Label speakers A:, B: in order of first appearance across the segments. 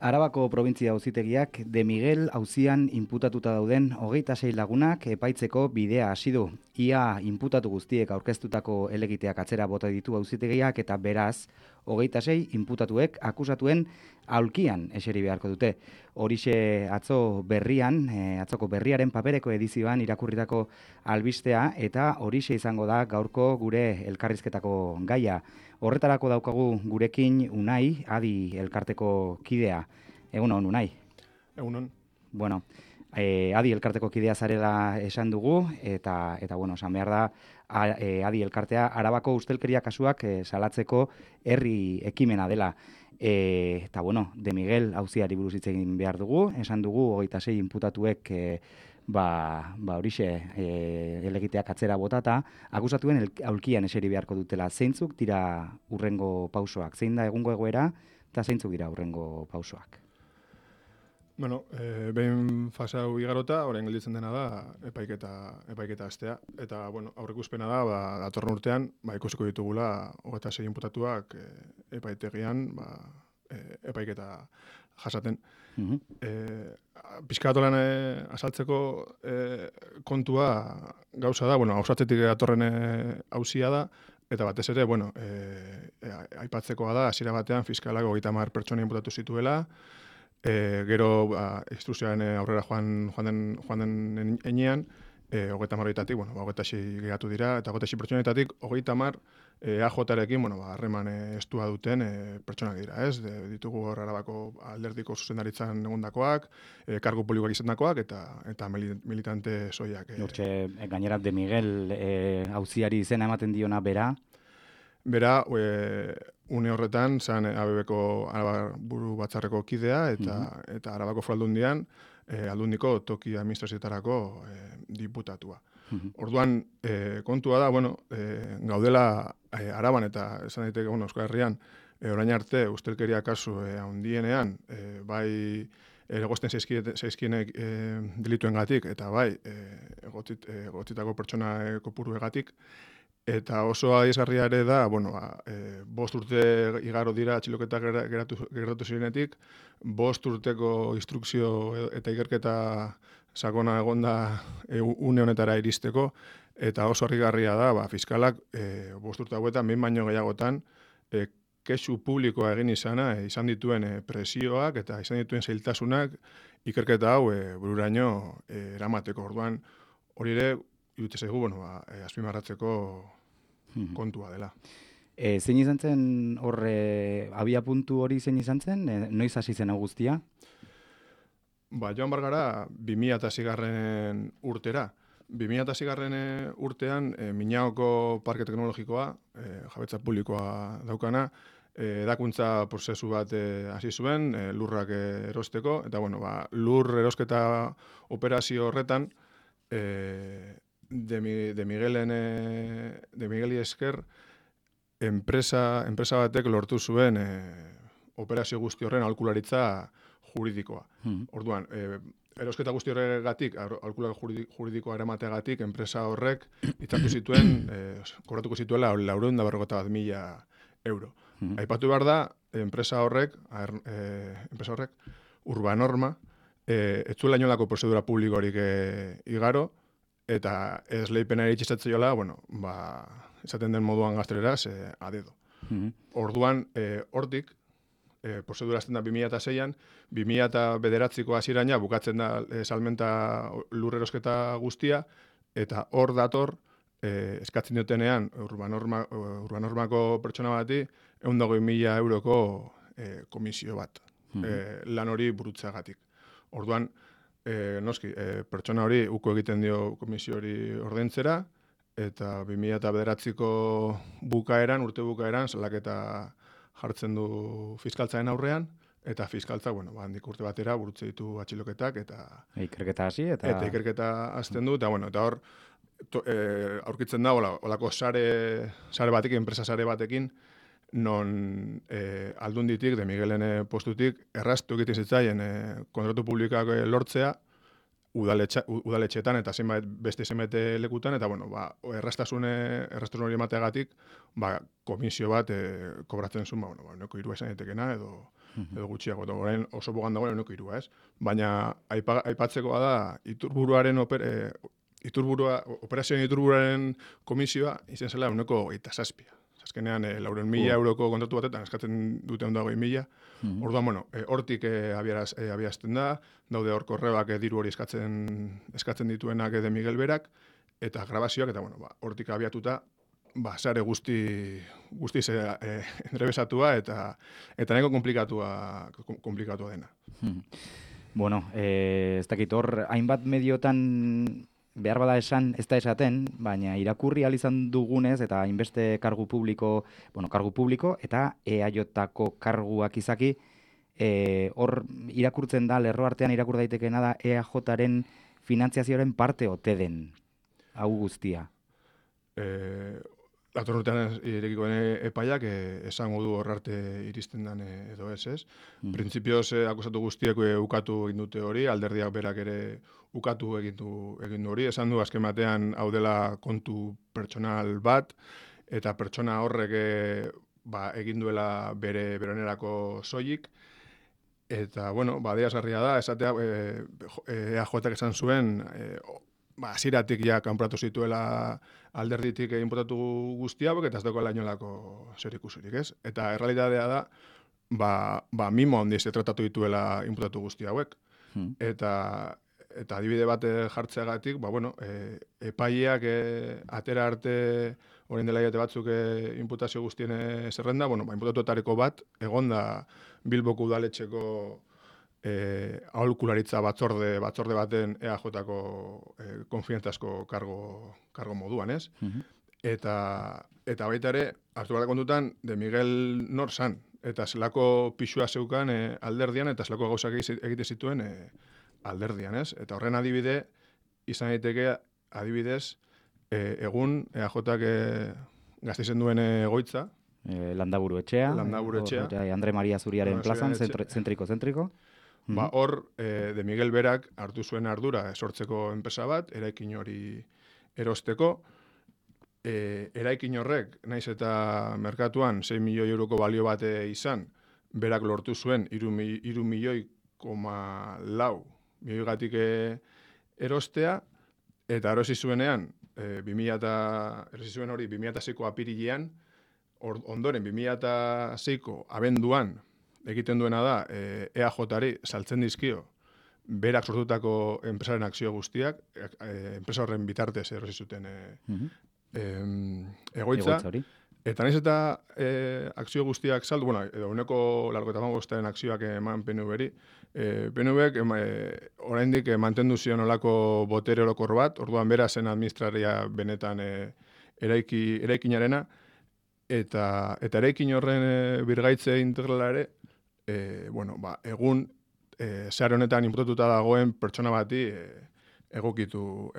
A: Arabako probintzia auzitegiak De Miguel auzian inputatuta dauden 26 lagunak epaitzeko bidea hasi du. Ia inputatu guztiek aurkeztutako helegiteak atzera bota ditu auzitegiak eta beraz 26 inputatuek akusatuen aulkian eseri beharko dute. Horixe atzoko berriaren papereko edizioan irakurritako albistea eta horixe izango da gaurko gure elkarrizketako gaia. Horretarako daukagu gurekin Unai, Adi elkarteko kidea. Egunon, Unai.
B: Egunon.
A: Bueno, Adi elkarteko kidea zarela esan dugu, eta bueno, esan behar da, Adi elkartea Arabako ustelkeria kasuak salatzeko herri ekimena dela. Eta bueno, De Miguel auziari buruz hitz egin behar dugu, esan dugu 26 inputatuek horixe helegiteak atzera botata, akusatuen aulkian eseri beharko dutela. Zeintzuk dira hurrengo pausoak? Zein da egungo egoera eta zeintzuk dira hurrengo pausoak?
B: Bueno, behin fase hau igarota, orain gelditzen dena da epaiketa hastea. Eta, bueno, aurreikuspena da, datorren urtean, ikusiko ditugula 26 inputatuak epaitegian, epaiketa jasaten. Pixkatolan azaltzeko kontua gauza da, bueno, hausatzetik datorren auzia da, eta batez ere, bueno, aipatzekoa da, hasiera batean fiskalak 30 pertsona inputatu zituela, gero instrukzioaren aurrera joan den enean, 30 horietatik, bueno, 26 geratu dira, eta 26 pertsonetatik 30 AJ-rekin, bueno, harreman estua duten pertsonak dira, ez? Ditugu hor Arabako alderdiko zuzendaritzan egondakoak, kargu publikoak izandakoak eta militante soiak.
A: Hortxe, gainera De Miguel auziari izena ematen diona bera.
B: Bera, une horretan, zan ABB-ko Araba buru batzarreko kidea, eta Arabako Foraldundian, aldundiko toki administrazioetarako diputatua. Orduan, kontua da, bueno, gaudela Araban eta esan daiteke, bueno, Euskal Herrian, orain arte ustelkeria kasu handienean, bai egozten zaizkienek delituengatik eta bai egotzitako pertsona kopuruegatik. Eta oso adierazgarria ere da, bueno, 5 urte igaro dira atxiloketak geratu zirenetik, 5 urteko instrukzio eta ikerketa sakona egonda une honetara iristeko, eta oso harrigarria da, fiskalak 5 urte hauetan, behin baino gehiagotan, kexu publikoa egin izan dituen presioak eta izan dituen zailtasunak ikerketa hau bururaino eramateko. Orduan, hori ere, iruditze zaigu, bueno, azpimarratzeko kontua dela.
A: Zein izan zen horre abia puntu hori zein izan zen? Noiz hasi zen guztia?
B: Joan bargara 2006 urtera. 2006 urtean Minaoko Parke Teknologikoa, jabetza publikoa daukana, edakuntza prozesu bat hasi zuen, lurrak erosteko, eta bueno, lur erosketa operazio horretan, De Migueli esker, enpresa batek lortu zuen operazio guzti horren aholkularitza juridikoa. Orduan, erosketa guzti horregatik, aholkularitza juridikoa eramateagatik, enpresa horrek itzartu zituen, kobratuko zituela 451.000 euro. Aipatu behar da, enpresa horrek, Urbanorma, ez zuela inolako prozedura publikorik igaro, eta esleipena eritxizatzeiola, bueno, esaten den moduan gazteleraz, adedo. Orduan, hortik, prozedura azten da 2006an, 2009ko hasiraina bukatzen da salmenta lurrerosketa guztia, eta hor dator, eskatzen dutenean, Urbanormako pertsona bati, 120.000 euroko komisio bat, lan hori burutzeagatik. Orduan, noski, pertsona hori uko egiten dio komisio hori ordaintzera, eta 2009ko urte bukaeran, salaketa jartzen du fiskaltzaren aurrean, eta fiskaltza, bueno, handik urte batera burutze ditu atxiloketak, eta
A: ikerketa hasi, eta
B: ikerketa hasten du, eta bueno, eta hor, aurkitzen da, olako sare batekin, enpresa sare batekin, non aldunditik, De Miguelen postutik, erraztu egiten zitzaien kontratu publikoak lortzea, udaletxetan eta beste zenbait lekutan, eta bueno, erraztasun hori emateagatik, komisio bat kobratzen zuen, bueno, euneko 3 esan daitekena, edo gutxiago, eta orain oso bogan dagoen euneko 3, ez? Baina aipatzekoa da, operazioen iturburuaren komisioa izen zela euneko 27. Azkenean, 400.000 euroko kontratu batetan eskatzen dute ondo 20.000. Orduan, bueno, hortik abiarazten da, daude hor korrebak diru hori eskatzen dituenak De Miguel berak, eta grabazioak, eta bueno, hortik abiatuta, sare guztiz entrebesatua eta nahiko komplikatua dena.
A: Bueno, ez dakit hor, hainbat mediotan behar bada esan, ez da esaten, baina irakurri izan dugunez, eta hainbeste kargu publiko eta EAJ-tako karguak izaki, hor irakurtzen da, lerro artean irakur daitekena da EAJ-aren finantziazioaren parte ote den, hau guztia.
B: Datorren urtean irekikoen epaiak esango du hor arte iristen den edo ez. Printzipioz akusatu guztiek ukatu egin dute hori, alderdiak berak ere ukatu egin du hori, esan du azken batean hau dela kontu pertsonal bat, eta pertsona horrek egin duela bere onerako soilik, eta, bueno, adierazgarria da, esatea EAJak esan zuen, hasieratik ja kanporatu zituela alderditik inputatu guzti hauek, eta ez dagoela inolako zerikusirik, ez? Eta errealitatea da, mimo handiz tratatu dituela inputatu guzti hauek. Eta adibide bat jartzeagatik, epaileak atera arte orain dela hilabete batzuk inputazio guztien zerrenda, inputatuetariko bat egonda Bilboko udaletxeko aholkularitza batzorde baten EAJ-ko konfiantzazko kargo moduan, ez? Eta baita ere, hartu gara kontutan, De Miguel nor zan, eta zelako pixua zeukan alderdian, eta zelako gauzak egite zituen alderdian, ez? Eta horren adibide, izan daiteke adibidez, egun EAJak Gasteizen duen egoitza,
A: Landaburu etxea, Andre Maria Zuriaren plazan, zentriko.
B: Hor, De Miguel berak hartu zuen ardura sortzeko enpresa bat, eraikin hori erosteko. Eraikin horrek, naiz eta merkatuan 6 milioi euroko balio bat izan, berak lortu zuen 3,4 milioigatik erostea, eta erosi zuenean, erosi zuen hori 2006ko apirilean, ondoren 2006ko abenduan, egiten duena da, EAJ-ari saltzen dizkio, berak sortutako enpresaren akzio guztiak, enpresa horren bitartez erosi zuten egoitza. Eta naiz eta akzio guztiak saldu, edo uneko 95% akzioak eman PNV-ri, PNV-ek oraindik mantendu zion olako botere orokor bat, orduan bera zen administraria benetan eraikinarena, eta eraikin horren birgaitze integrala ere, egun zehar honetan inputatuta dagoen pertsona bati egokitu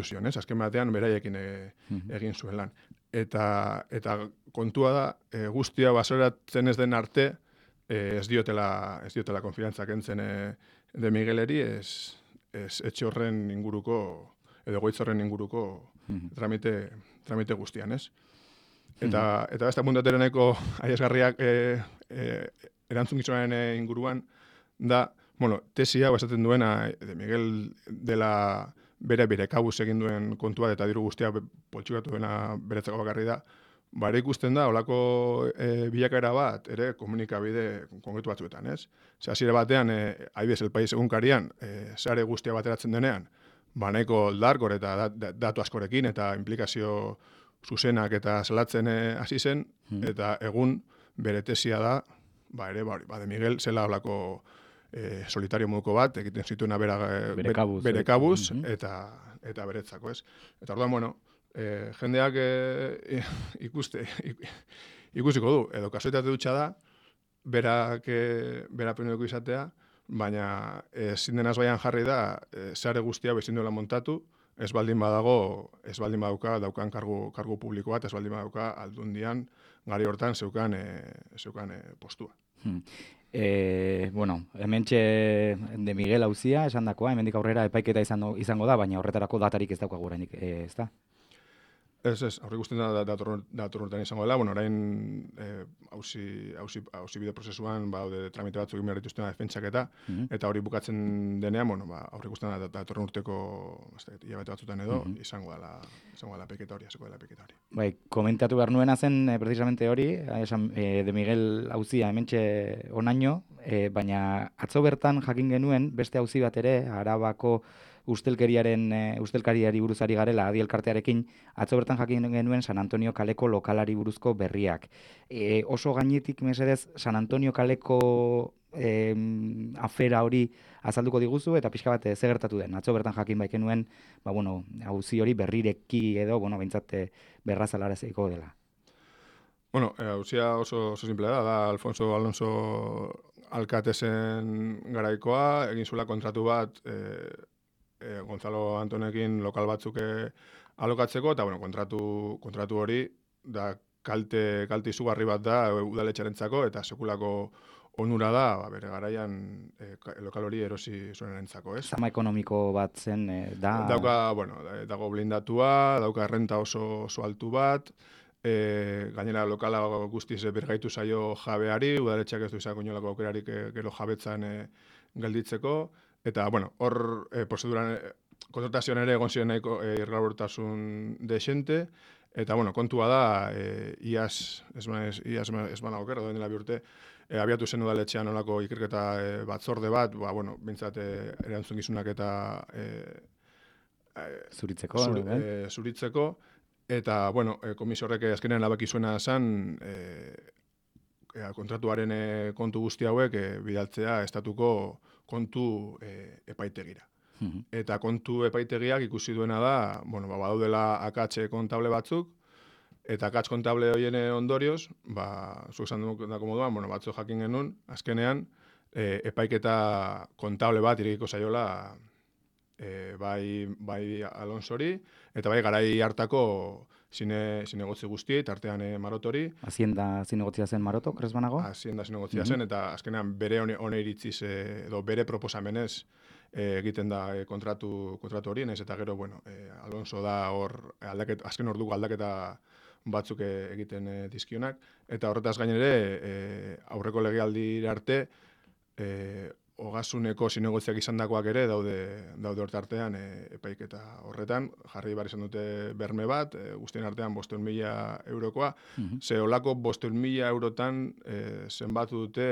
B: zion, ez? Azken batean beraiekin egin zuen lan. Eta kontua da, guztia basoratzen ez den arte, ez diotela konfiantzak entzen De Migueleri, ez etxe horren inguruko, edo goitz horren inguruko tramite guztian, ez? Eta beste apuntatera nahiko aiesgarriak erantzukizunaren inguruan da, tesi hau esaten duena De Miguel dela bere kabuz egin duen kontua eta diru guztia poltsikatu duena beretzako bakarri da, ere ikusten da, olako bilakaera bat, ere komunikabide konkretu batzuetan, ez? Hasiera batean, adibidez, El País egunkarian, sare guztia bateratzen denean, nahiko darkor eta datu askorekin eta implikazio zuzenak eta salatzen hasi zen, eta egun bere tesia da, De Miguel zela olako solitario moduko bat, egiten zituena bere kabuz eta beretzako, ez? Eta orduan, jendeak ikusiko du, edo kasuetate dutxa da, bera penudeko izatea, baina ezin denaz baian jarri da, zare guztia bezin duela montatu, ez baldin badauka daukan kargu publiko bat, ez baldin badauka aldundian gari hortan zeukan postua.
A: Bueno, hementxe de Miguel auzia esandakoa, hemendik aurrera epaiketa izango da, baina horretarako datarik ez daukagu oraindik, ezta?
B: Ez, aurre ikusten da datorren urtean izango dela, bueno, orain auzi bide prozesuan daude tramite batzuk egin behar dituztena defentsak eta hori bukatzen denean, bueno, aurre ikusten da datorren urteko hilabete batzutan edo izango dela epaiketa hori, hasiko dela epaiketa hori.
A: Bai, komentatu behar nuena zen precisamente hori, esan de Miguel auzia hementxe onaino, baina atzo bertan jakin genuen beste auzi bat ere, Arabako ustelkariari buruzari garela Adi elkartearekin, atzo bertan jakin genuen San Antonio kaleko lokalari buruzko berriak. Oso gainetik mesedez San Antonio kaleko afera hori azalduko diguzu eta pixka bat ze gertatu den. Atzo bertan jakin baik genuen, auzi hori berrireki edo, behintzat berrazalaraziko dela.
B: Bueno, auzia oso simplea da Alfonso Alonso alkatezen garaikoa, egin zuela kontratu bat Gonzalo Antonekin lokal batzuk alokatzeko, eta kontratu hori da kalte izugarri bat da udaletxarentzako, eta sekulako onura da, bere garaian lokal hori erosi zuenarentzako, ez?
A: Zama ekonomiko bat zen, da...
B: Dago blindatua, dauka errenta oso altu bat, gainera lokala guztiz bergaitu zaio jabeari, udaletxeak ez du izango inolako aukerarik gero jabetzan gelditzeko, eta, hor prozeduran kontratazioan ere egon ziren nahiko irregulartasun dexente, eta, kontua da, iaz banago oker, doen dela bi urte, abiatu zen udaletxean olako ikerketa batzorde bat, bintzat erantzungizunak eta zuritzeko, eta, komisio horrek azkenean labaki zuena zen, kontratuaren kontu guzti hauek bidaltzea estatuko kontu epaitegira. Eta kontu epaitegiak ikusi duena da, badaudela akatxe kontable batzuk, eta akatz kontable horien ondorioz, zuek esan dako moduan, batzu jakin genuen, azkenean, epaiketa kontable bat irekiko zaiola bai Alonsori, eta bai garai hartako zinegotzi guztiei, tartean Marotori.
A: Hazienda zinegotzia zen Maroto, kres banago?
B: Hazienda zinegotzia zen, eta azkenean bere hone iritziz, edo bere proposamenez egiten da kontratu hori, nahiz eta gero, Alonso da hor, azken orduko aldaketa batzuk egiten dizkionak, eta horretaz gainere, aurreko legealdi arte, Ogasuneko zinegotziak izandakoak ere daude hortartean epaiketa horretan, jarri behar izan dute berme bat, guztien artean 500.000 eurokoa, ze olako 500.000 eurotan zenbatu dute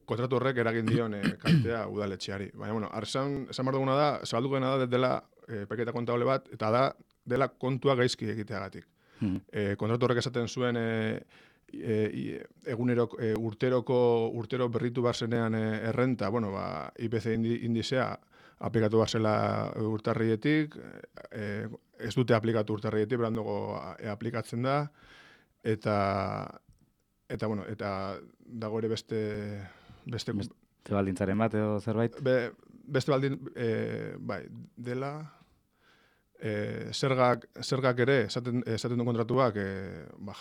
B: kontratu horrek eragin dion kaltea udaletxeari. Baina, esan behar duguna da, zabalduko dena da dela epaiketa kontable bat, eta da dela kontua gaizki egiteagatik. Kontratu horrek esaten zuen urtero berritu barzenean errenta, IPC indizea aplikatu barzela urtarrietik, ez dute aplikatu urtarrietik, berandugo aplikatzen da, eta dago ere beste
A: baldintzaren bat edo zerbait?
B: Beste baldin, dela... Zergak ere, esaten du kontratuak,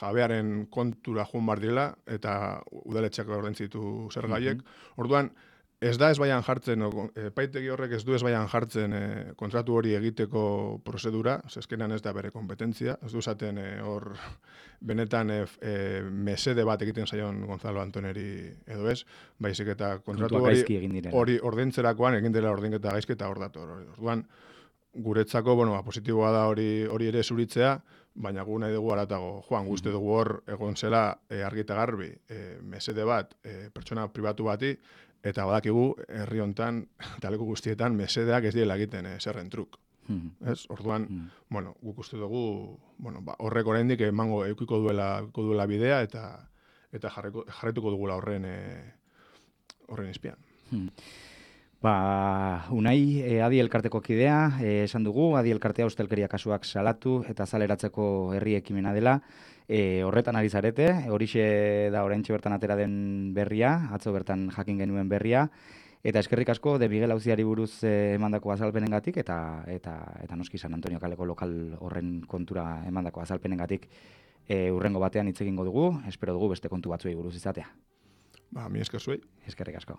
B: jabearen kontura joan bar direla, eta udaletxeak ordentzitu zergaiek. Orduan, ez da ez baian jartzen, epaitegi horrek ez du ez baian jartzen kontratu hori egiteko prozedura, zezkenan ez da bere kompetentzia, ez du esaten hor benetan mesede bat egiten zaion Gonzalo Antoneri edo ez, baizik eta kontratu hori ordentzerakoan egin dela ordenketa gaizki eta hor dator. Orduan, guretzako, positiboa da hori ere zuritzea, baina gu nahi dugu aratago. Joan, guzti dugu hor egon zela argita garbi, mesede bat, pertsona pribatu bati, eta badakigu herri hontan, taleko guztietan, mesedeak ez diela egiten zerren truk. Orduan, guk uste dugu, horrek oraindik emango eukiko duela bidea, eta jarretuko dugula horren izpian.
A: Unai, Adi elkarteko kidea, esan dugu, Adi elkartea ustelkeria kasuak salatu eta azaleratzeko herri ekimena dela. Horretan ari zarete, horixe da oraintxe bertan atera den berria, atzo bertan jakin genuen berria, eta eskerrik asko de Miguel auziari buruz emandako azalpenengatik eta noski San Antonio kaleko lokal horren kontura emandako azalpenengatik. Hurrengo batean hitz egingo dugu, espero dugu beste kontu batzuei buruz izatea.
B: Mi esker zuei.
A: Eskerrik asko.